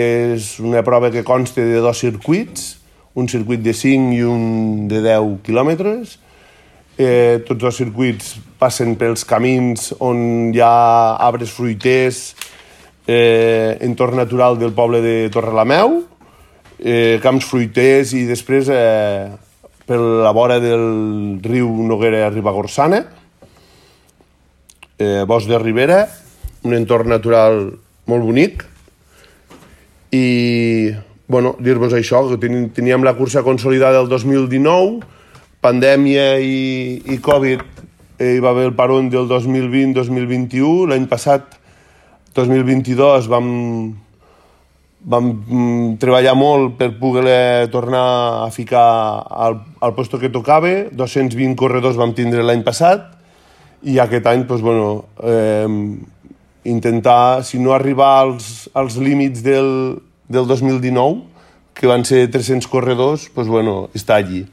És una prova que consta de 2 circuits, un circuit de 5 i un de 10 quilòmetres. Tots els circuits passen pels camins on hi ha arbres fruiters, entorn natural del poble de Torrelameu, camps fruiters i després per la vora del riu Noguera Ribagorçana, bosc de Ribera, un entorn natural molt bonic. I dir-vos això, que teníem la cursa consolidada el 2019, pandèmia i Covid, hi va haver el parón del 2020-2021, l'any passat, 2022, vam treballar molt per poder tornar a ficar al puesto que tocava. 220 corredors vam tindre l'any passat i aquest any intentar, si no arribar als límits del 2019, que van ser 300 corredors, està allí.